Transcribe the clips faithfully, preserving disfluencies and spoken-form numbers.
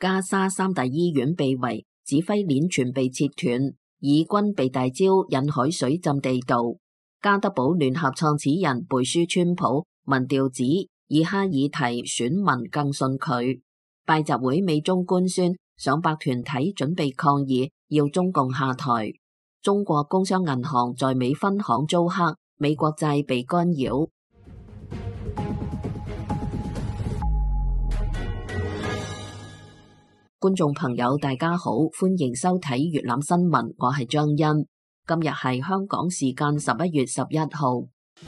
加沙三大醫院被圍，指揮鏈全被切斷，以軍被大招引海水浸地道。加德堡聯合創始人貝舒川普民調指以哈爾提選民更信佢。拜習會美中官宣，上百團體準備抗議，要中共下台。中國工商銀行在美分行遭黑，美國債被干擾。觀眾朋友大家好，歡迎收睇粵覽新聞，我係張欣。今日係香港時間十一月十一號，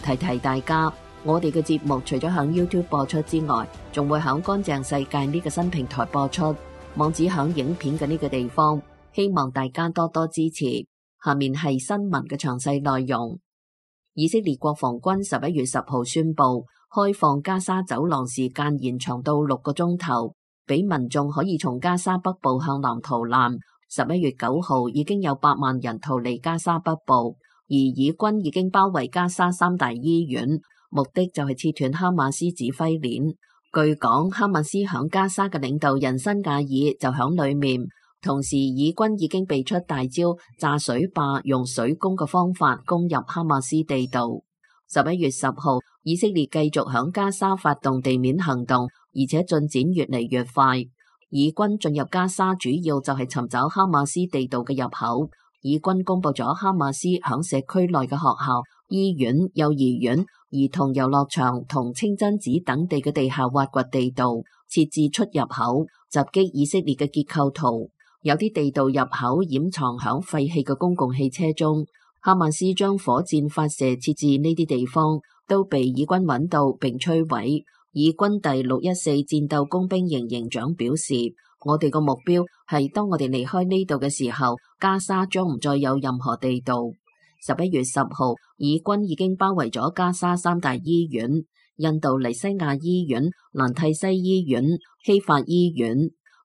提提大家，我哋嘅節目除咗響 YouTube 播出之外，仲會響乾淨世界呢個新平台播出，網址響影片嘅呢個地方，希望大家多多支持。下面係新聞嘅詳細內容。以色列國防軍十一月十號宣布，開放加沙走廊時間延長到六個鐘頭，俾民眾可以從加沙北部向南逃難。十一月九號已經有八萬人逃離加沙北部，而以軍已經包圍加沙三大醫院，目的就係切斷哈馬斯指揮鏈。據講，哈馬斯響加沙嘅領導人辛亞爾就響裏面，同時以軍已經被出大招，炸水壩用水攻嘅方法攻入哈馬斯地道。十一月十號，以色列繼續響加沙發動地面行動，而且進展越嚟越快。以軍進入加沙主要就係尋找哈馬斯地道嘅入口。以軍公布咗哈馬斯響社區內嘅學校、醫院、幼兒園、兒童遊樂場同清真寺等地嘅地下挖掘地道，設置出入口，襲擊以色列嘅結構圖。有啲地道入口掩藏響廢棄嘅公共汽車中。哈馬斯將火箭發射設置呢啲地方，都被以軍揾到並摧毀。以軍第六一四戰鬥工兵營營長表示，我哋個目標係當我哋離開呢度嘅時候，加沙將唔再有任何地道。十一月十號，以軍已經包圍咗加沙三大醫院：印度尼西亞醫院、蘭蒂西醫院、希法醫院。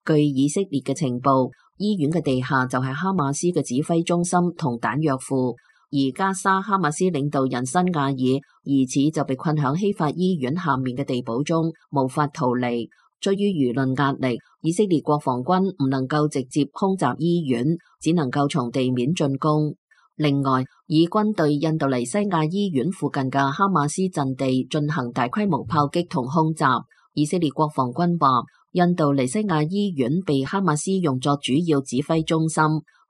據以色列嘅情報，醫院嘅地下就係哈馬斯嘅指揮中心同彈藥庫。而加沙哈馬斯領導人辛亞爾疑似就被困響希法醫院下面嘅地堡中，無法逃離。出於輿論壓力，以色列國防軍唔能夠直接空襲醫院，只能夠從地面進攻。另外，以軍對印度尼西亞醫院附近嘅哈馬斯陣地進行大規模炮擊同空襲。以色列國防軍話，印度尼西亞醫院被哈馬斯用作主要指揮中心。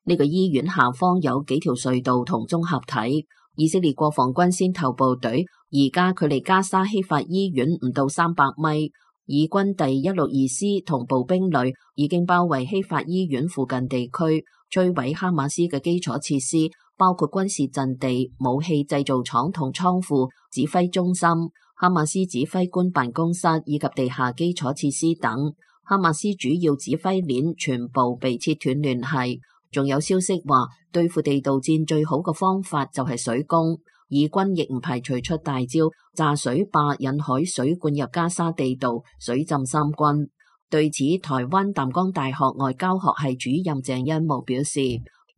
呢個醫院下方有幾條隧道同綜合體。以色列國防軍先頭部隊而家距離加沙希法醫院唔到三百米。以軍第一六二師同步兵旅已經包圍希法醫院附近地區，摧毀哈馬斯嘅基礎設施，包括軍事陣地、武器製造廠同倉庫、指揮中心、哈馬斯指揮官辦公室以及地下基礎設施等。哈馬斯主要指揮鏈全部被切斷聯繫。仲有消息話，對付地道戰最好嘅方法就係水攻。以軍亦唔排除出大招，炸水壩引海水灌入加沙地道，水浸三軍。對此，台灣淡江大學外交學系主任鄭恩模表示，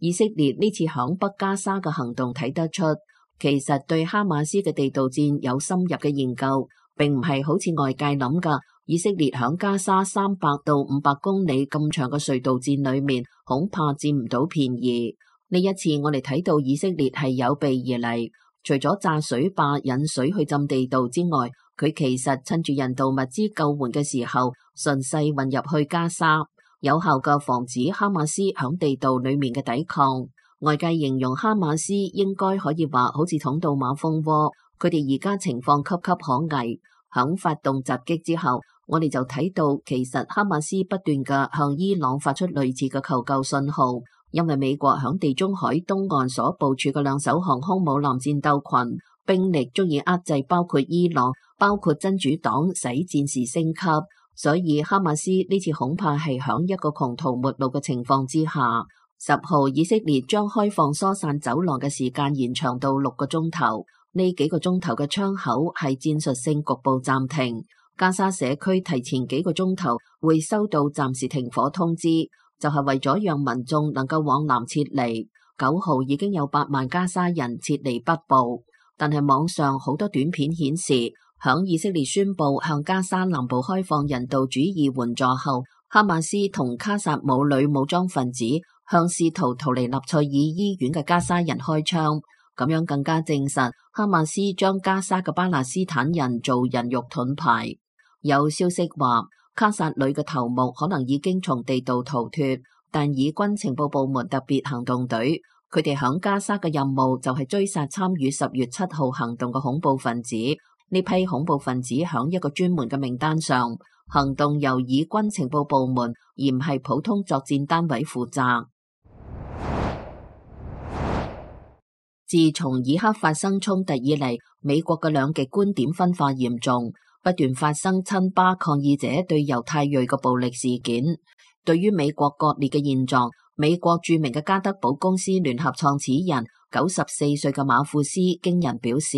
以色列呢次響北加沙嘅行動睇得出，其實對哈馬斯嘅地道戰有深入嘅研究，並唔係好似外界諗㗎。以色列響加沙三百到五百公里咁長嘅隧道戰裏面，恐怕佔唔到便宜。呢一次我哋睇到以色列係有備而嚟，除咗炸水壩引水去浸地道之外，佢其實趁住人道物資救援嘅時候，順勢混入去加沙，有效嘅防止哈馬斯響地道裏面嘅抵抗。外界形容哈馬斯應該可以話好似捅到馬蜂窩，佢哋而家情況岌岌可危。響發動襲擊之後，我哋就睇到其實哈馬斯不斷嘅向伊朗發出類似嘅求救信號，因為美國響地中海東岸所部署嘅兩艘航空母艦戰鬥群兵力足以壓制包括伊朗、包括真主黨使戰事升級，所以哈馬斯呢次恐怕係響一個窮途末路嘅情況之下。十號以色列將開放疏散走廊嘅時間延長到六個鐘頭，呢幾個鐘頭嘅窗口係戰術性局部暫停。加沙社區提前幾個鐘頭會收到暫時停火通知，就係為咗讓民眾能夠往南撤離。九號已經有八萬加沙人撤離北部，但係網上好多短片顯示，響以色列宣布向加沙南部開放人道主義援助後，哈馬斯同卡薩姆旅武裝分子向試圖逃離納賽爾醫院嘅加沙人開槍，咁樣更加證實哈馬斯將加沙嘅巴勒斯坦人做人肉盾牌。有消息話，卡薩旅嘅頭目可能已經從地道逃脫，但以軍情報部門特別行動隊，佢哋響加沙嘅任務就係追殺參與十月七號行動嘅恐怖分子。呢批恐怖分子響一個專門嘅名單上，行動由以軍情報部門而唔係普通作戰單位負責。自從以克發生衝突以嚟，美國嘅兩極觀點分化嚴重，不斷發生親巴抗議者對猶太裔嘅暴力事件。對於美國割裂嘅現狀，美國著名嘅加德堡公司聯合創始人九十四歲嘅馬庫斯驚人表示，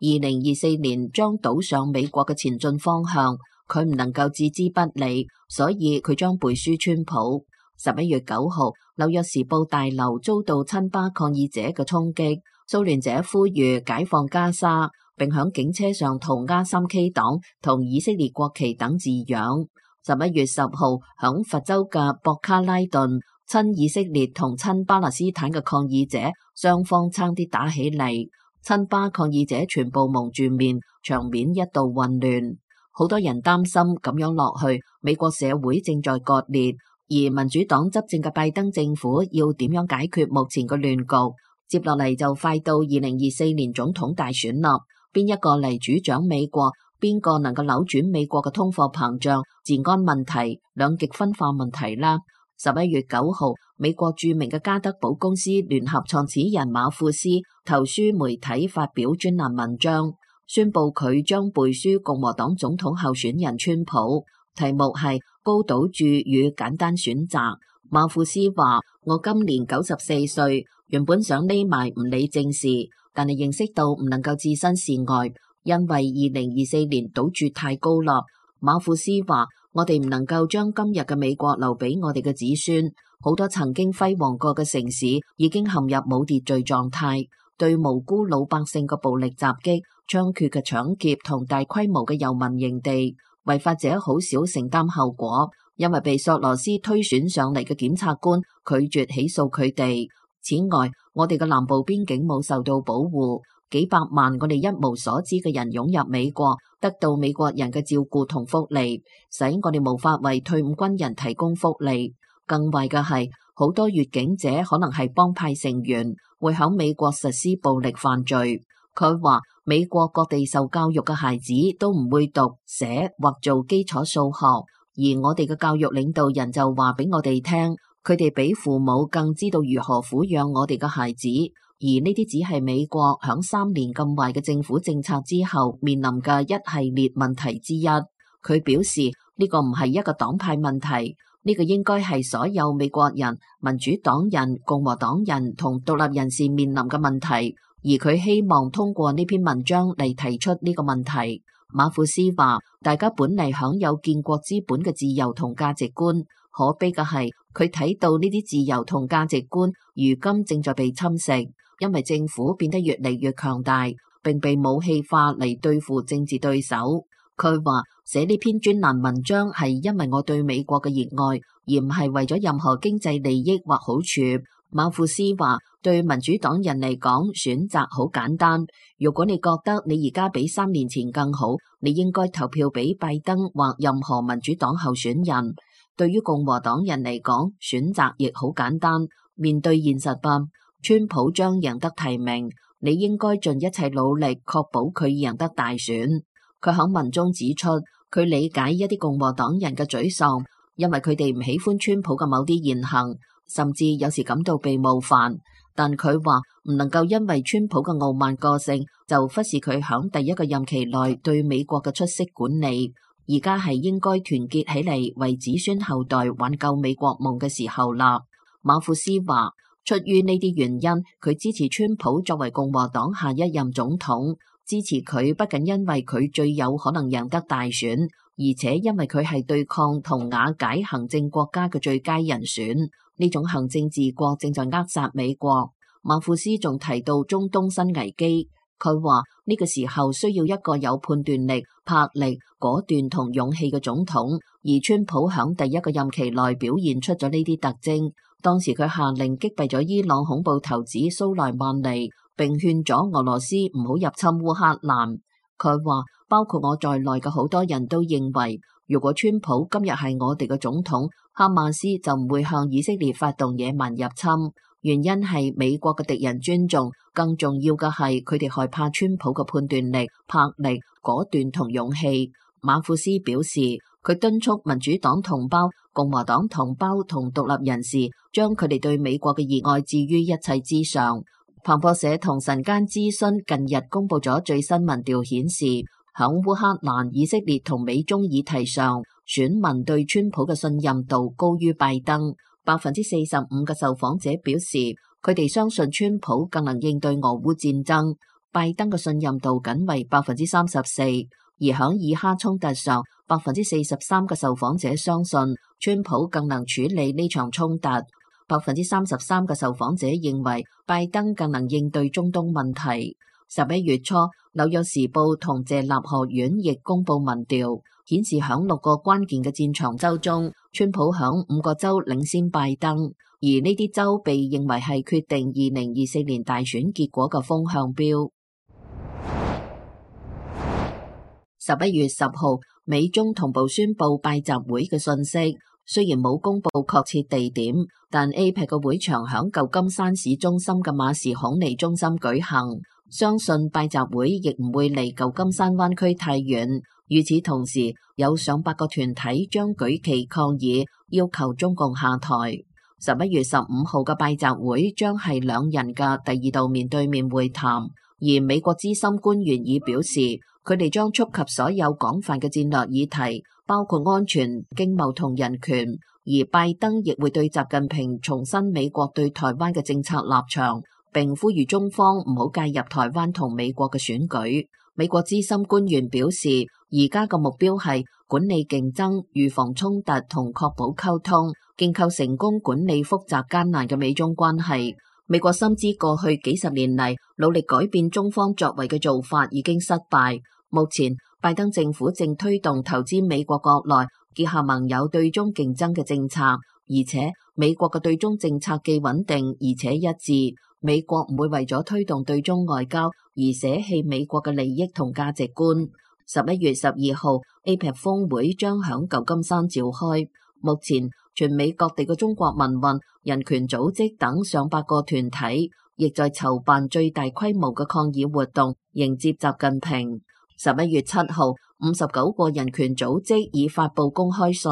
二零二四年將賭上美國嘅前進方向，佢唔能夠置之不理，所以佢將背書川普。十一月九號，紐約時報大樓遭到親巴抗議者嘅衝擊，騷亂者呼籲解放加沙，並響警車上塗鴉三 K 黨同以色列國旗等字樣。十一月十號，響佛州嘅博卡拉頓，親以色列同親巴勒斯坦嘅抗議者雙方差啲打起嚟，親巴抗議者全部蒙住面，場面一度混亂。好多人擔心咁樣落去，美國社會正在割裂，而民主黨執政嘅拜登政府要點樣解決目前嘅亂局？接落嚟就快到二零二四年總統大選啦，邊一個嚟主掌美國？邊個能夠扭轉美國嘅通貨膨脹、治安問題、兩極分化問題啦？十一月九號，美國著名嘅加德堡公司聯合創始人馬庫斯投書媒體發表專欄文章，宣布佢將背書共和黨總統候選人川普，題目係高賭注與簡單選擇。馬庫斯話：我今年九十四歲，原本想匿埋唔理政事，但係認識到唔能夠置身事外。因為二零二四年賭注太高啦，馬庫斯話：我哋唔能夠將今日嘅美國留俾我哋嘅子孫，好多曾經輝煌過嘅城市已經陷入冇秩序狀態，對無辜老百姓嘅暴力襲擊、猖獗嘅搶劫同大規模嘅遊民營地，違法者好少承擔後果，因為被索羅斯推選上嚟嘅檢察官拒絕起訴佢哋。此外，我哋嘅南部邊境冇受到保護。幾百萬我哋一無所知嘅人湧入美國，得到美國人嘅照顧同福利，使我哋無法為退伍軍人提供福利。更壞嘅係，好多越境者可能係幫派成員，會響美國實施暴力犯罪。佢話美國各地受教育嘅孩子都唔會讀寫或做基礎數學，而我哋嘅教育領導人就話俾我哋聽，佢哋比父母更知道如何撫養我哋嘅孩子。而呢啲只係美國響三年咁壞嘅政府政策之後面臨嘅一系列問題之一。佢表示呢個唔係一個黨派問題，呢個應該係所有美國人、民主黨人、共和黨人同獨立人士面臨嘅問題。而佢希望通過呢篇文章嚟提出呢個問題。馬庫斯話：大家本嚟享有建國之本嘅自由同價值觀，可悲嘅係佢睇到呢啲自由同價值觀如今正在被侵蝕。因為政府變得越嚟越強大，並被武器化嚟對付政治對手。佢話寫呢篇專欄文章係因為我對美國嘅熱愛，而唔係為咗任何經濟利益或好處。馬庫斯話：對民主黨人嚟講，選擇好簡單。如果你覺得你而家比三年前更好，你應該投票俾拜登或任何民主黨候選人。對於共和黨人嚟講，選擇亦好簡單。面對現實吧。川普將贏得提名，你應該盡一切努力確保佢贏得大選。佢喺文中指出，佢理解一啲共和黨人嘅沮喪，因為佢哋唔喜歡川普嘅某啲言行，甚至有時感到被冒犯。但佢話唔能夠因為川普嘅傲慢個性，就忽視佢喺第一個任期內對美國嘅出色管理。而家係應該團結起嚟，為子孫後代挽救美國夢嘅時候啦。馬庫斯話。出於呢啲原因，佢支持川普作為共和黨下一任總統。支持佢不僅因為佢最有可能贏得大選，而且因為佢係對抗同瓦解行政國家嘅最佳人選。呢種行政治國正在扼殺美國。馬庫斯仲提到中東新危機，佢話呢個時候需要一個有判斷力、魄力、果斷同勇氣嘅總統，而而川普響第一個任期內表現出咗呢啲特徵。當時佢下令擊斃咗伊朗恐怖頭子蘇萊曼尼，並勸咗俄羅斯唔好入侵烏克蘭。佢話，包括我在內嘅好多人都認為，如果川普今日係我哋嘅總統，哈馬斯就唔會向以色列發動野蠻入侵。原因係美國嘅敵人尊重，更重要嘅係佢哋害怕川普嘅判斷力、魄力、果斷同勇氣。馬庫斯表示，佢敦促民主黨同胞、共和黨同胞同獨立人士將佢哋對美國嘅熱愛置於一切之上。彭博社同晨間諮詢近日公布咗最新民調顯示，響烏克蘭、以色列同美中議題上，選民對川普嘅信任度高於拜登。百分之四十五嘅受訪者表示，佢哋相信川普更能應對俄烏戰爭。拜登嘅信任度僅為百分之三十四，而響以哈衝突上，百分之四十三嘅受訪者相信川普更能處理呢場衝突。百分之三十三嘅受訪者認為拜登更能應對中東問題。十一月初，紐約時報同謝納學院亦公布民調，顯示響六個關鍵嘅戰場州中，川普響五個州領先拜登，而呢啲州被認為係決定二零二四年大選結果嘅風向標。十一月十號，美中同步宣布拜習會嘅信息，雖然冇公布確切地點，但 A P E C 嘅會場響舊金山市中心嘅馬士孔尼中心舉行，相信拜習會亦唔會離舊金山灣區太遠。與此同時，有上百個團體將舉旗抗議，要求中共下台。十一月十五號嘅拜習會將係兩人嘅第二度面對面會談，而美國資深官員已表示，佢哋將觸及所有廣泛嘅戰略議題，包括安全、經貿同人權。而拜登亦會對習近平重申美國對台灣嘅政策立場，並呼籲中方唔好介入台灣同美國嘅選舉。美國資深官員表示，而家嘅目標係管理競爭、預防衝突同確保溝通，建構成功管理複雜艱難嘅美中關係。美國深知過去幾十年嚟努力改變中方作為嘅做法已經失敗。目前，拜登政府正推動投資美國國內結合盟友對中競爭嘅政策，而且美國嘅對中政策既穩定而且一致。美國唔會為咗推動對中外交而捨棄美國嘅利益同價值觀。十一月十二號 A P E C 峰會將響舊金山召開。目前全美各地嘅中國民運、人權組織等上百個團體，亦在籌辦最大規模嘅抗議活動，迎接習近平。十一月七號，五十九個人權組織已發布公開信，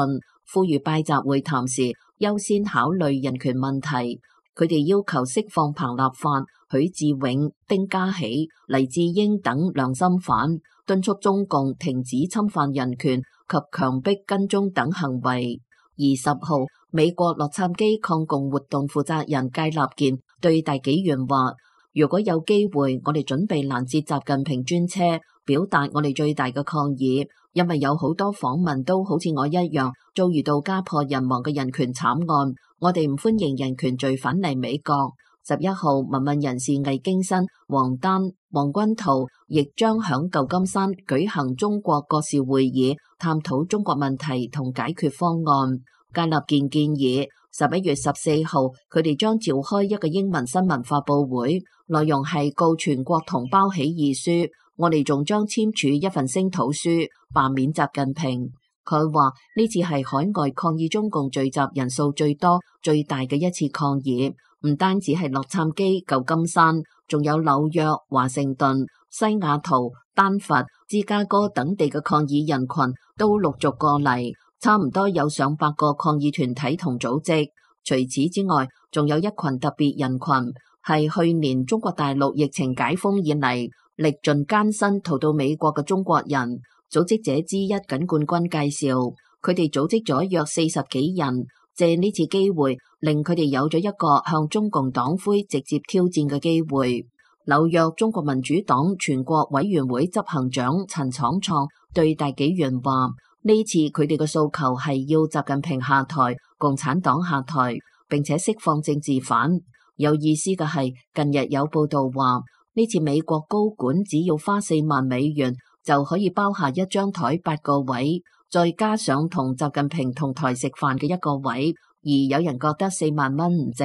呼籲拜習會談時優先考慮人權問題。佢哋要求釋放彭立發、許志永、丁家喜、黎智英等良心犯，敦促中共停止侵犯人權及強迫跟蹤等行為。二十號，美國洛杉磯抗共活動負責人芥立健對大紀元話，如果有機會，我哋準備攔截習近平專車，表達我哋最大嘅抗議，因為有好多訪問都好似我一樣遭遇到家破人亡嘅人權慘案。我哋唔歡迎人權罪犯嚟美國。十一號，民運人士魏京新、王丹、黃君濤亦將響舊金山舉行中國國事會議，探討中國問題同解決方案。芥立健建議十一月十四號，佢哋將召開一個英文新聞發佈會，內容係告全國同胞起義書。我哋仲將簽署一份聲討書，罷免習近平。佢話呢次係海外抗議中共聚集人數最多、最大嘅一次抗議，唔單止係洛杉磯、舊金山，仲有紐約、華盛頓、西雅圖、丹佛、芝加哥等地嘅抗議人群都陸續過嚟，差唔多有上百個抗議團體同組織。除此之外，仲有一群特別人群，係去年中國大陸疫情解封以嚟歷盡艱辛逃到美國嘅中國人。組織者之一緊冠軍介紹，佢哋組織咗約四十幾人，借呢次機會令佢哋有咗一個向中共黨魁直接挑戰嘅機會。紐約中國民主黨全國委員會執行長陳闖創對大紀元話，呢次佢哋嘅訴求係要習近平下台、共產黨下台，並且釋放政治犯。有意思嘅係，近日有報道話，呢次美國高管只要花四萬美元就可以包下一張台八個位，再加上同習近平同台食飯嘅一個位，而有人覺得四萬蚊唔值。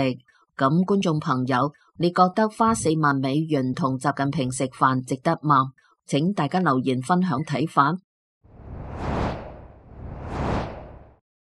咁觀眾朋友，你覺得花四萬美元同習近平食飯值得嗎？請大家留言分享睇法。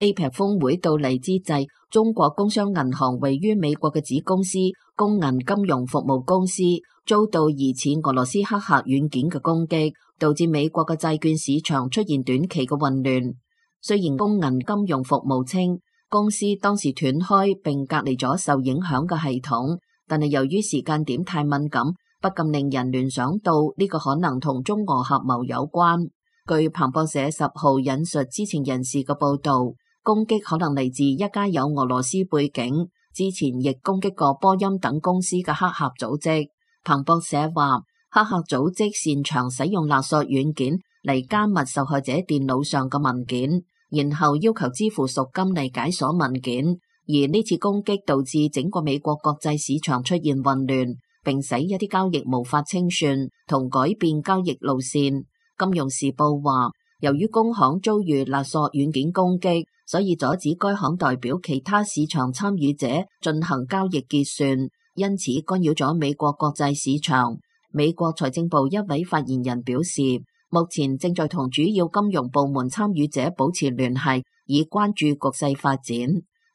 A P E C 峰會到嚟之際，中國工商銀行位於美國嘅子公司工銀金融服務公司遭到疑似俄羅斯黑客軟件嘅攻擊，導致美國嘅債券市場出現短期嘅混亂。雖然工銀金融服務稱公司當時斷開並隔離咗受影響嘅系統，但係由於時間點太敏感，不禁令人聯想到呢個可能同中俄合謀有關。據彭博社十號引述知情人士嘅報道，攻擊可能嚟自一家有俄羅斯背景、之前亦攻擊過波音等公司嘅黑客組織。彭博社話，黑客組織擅長使用勒索軟件嚟加密受害者電腦上嘅文件，然後要求支付贖金嚟解鎖文件。而呢次攻擊導致整個美國國際市場出現混亂，並使一啲交易無法清算同改變交易路線。金融時報話，由於工行遭遇勒索軟件攻擊，所以阻止該行代表其他市場參與者進行交易結算，因此干擾咗美國國際市場。美國財政部一位發言人表示，目前正在同主要金融部門參與者保持聯繫，以關注局勢發展。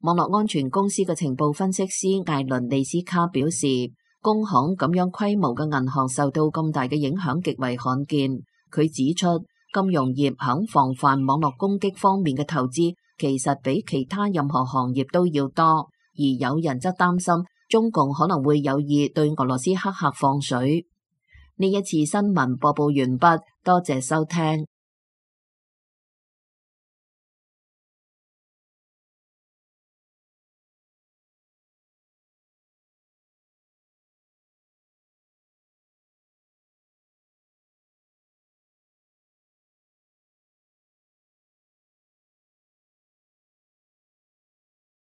網絡安全公司嘅情報分析師艾倫利斯卡表示，工行咁樣規模嘅銀行受到咁大嘅影響極為罕見。佢指出，金融業喺防範網絡攻擊方面嘅投資其實比其他任何行業都要多，而有人則擔心中共可能會有意對俄羅斯黑客放水。呢一次新聞播報完畢，多謝收聽。